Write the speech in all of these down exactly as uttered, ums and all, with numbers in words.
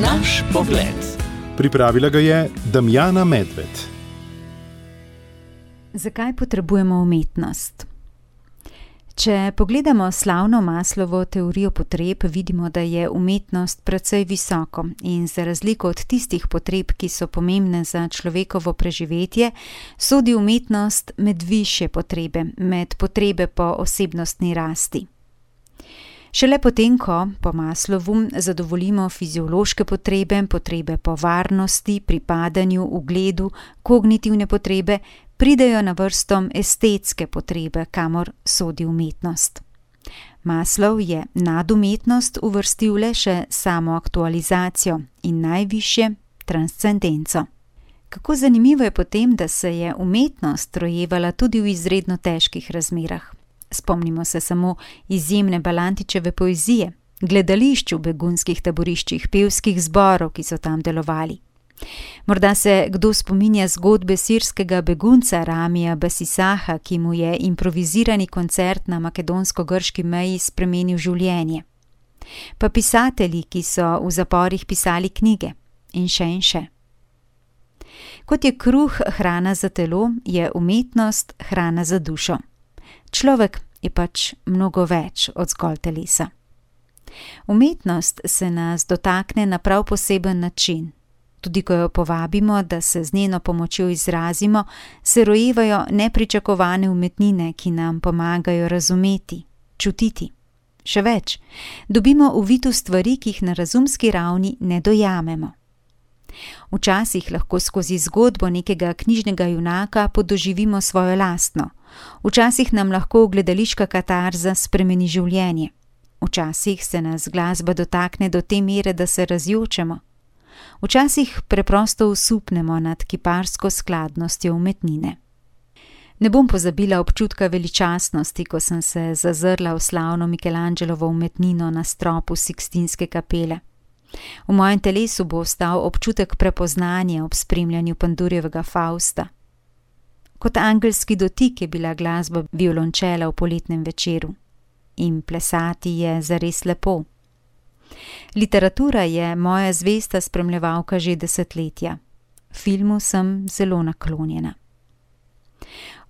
Naš pogled. Pripravila ga je Damjana Medved. Zakaj potrebujemo umetnost? Če pogledamo slavno Maslovo teorijo potreb, vidimo, da je umetnost precej visoko in za razliko od tistih potreb, ki so pomembne za človekovo preživetje, sodi umetnost med višje potrebe, med potrebe po osebnostni rasti. Šele potem, ko po Maslovu zadovoljimo fiziološke potrebe, potrebe po varnosti, pripadanju, ugledu, kognitivne potrebe, pridejo na vrsto estetske potrebe, kamor sodi umetnost. Maslow je nad umetnost uvrstil le še samoaktualizacijo in najvišje transcendenco. Kako zanimivo je potem, da se je umetnost rojevala tudi v izredno težkih razmerah. Spomnimo se samo izjemne Balantičeve poezije, gledališč v begunskih taboriščih, pevskih zborov, ki so tam delovali. Morda se kdo spominja zgodbe sirskega begunca Ramija Basisaha, ki mu je improvizirani koncert na makedonsko-grški meji spremenil življenje. Pa pisatelji, ki so v zaporih pisali knjige, in še in še. Kot je kruh hrana za telo, je umetnost hrana za dušo. Človek je pač mnogo več od zgolj telesa. Umetnost se nas dotakne na prav poseben način. Tudi ko jo povabimo, da se z njeno pomočjo izrazimo, se rojevajo nepričakovane umetnine, ki nam pomagajo razumeti, čutiti. Še več, dobimo uvid v stvari, ki jih na razumski ravni ne dojamemo. Včasih lahko skozi zgodbo nekega knjižnega junaka podoživimo svojo lastno. Včasih nam lahko gledališka katarza spremeni življenje. Včasih se nas glasba dotakne do te mere, da se razjočemo. Včasih preprosto osupnemo nad kiparsko skladnostjo umetnine. Ne bom pozabila občutka veličastnosti, ko sem se zazrla v slavno Michelangelovo umetnino na stropu Sikstinske kapele. V mojem telesu bo ostal občutek prepoznanja ob spremljanju Pandurjevega Fausta. Kot angelski dotik je bila glasba violončela v poletnem večeru. In plesati je zares lepo. Literatura je moja zvesta spremljevalka že desetletja. Filmu sem zelo naklonjena.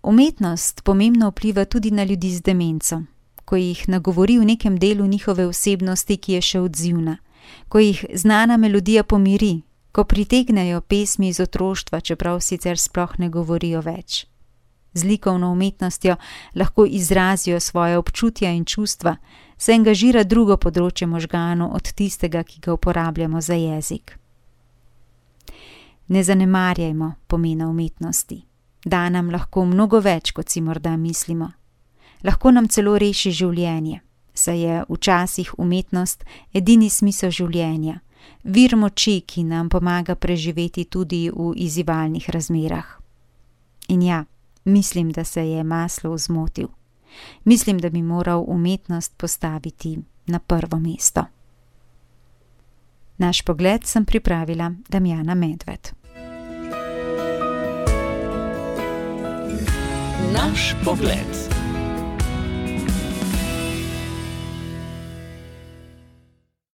Umetnost pomembno vpliva tudi na ljudi z demenco, ko jih nagovori v nekem delu njihove osebnosti, ki je še odzivna, ko jih znana melodija pomiri, ko pritegnejo pesmi iz otroštva, čeprav sicer sploh ne govorijo več. Z likovno umetnostjo lahko izrazijo svoje občutja in čustva, se angažira drugo področje možganov od tistega, ki ga uporabljamo za jezik. Ne zanemarjajmo pomena umetnosti. Da nam lahko mnogo več, kot si morda mislimo. Lahko nam celo reši življenje, saj je včasih umetnost edini smisel življenja, vir moči, ki nam pomaga preživeti tudi v izzivalnih razmerah. In ja, mislim, da se je Maslow zmotil. Mislim, da bi moral umetnost postaviti na prvo mesto. Naš pogled sem pripravila Damjana Medved. Naš pogled.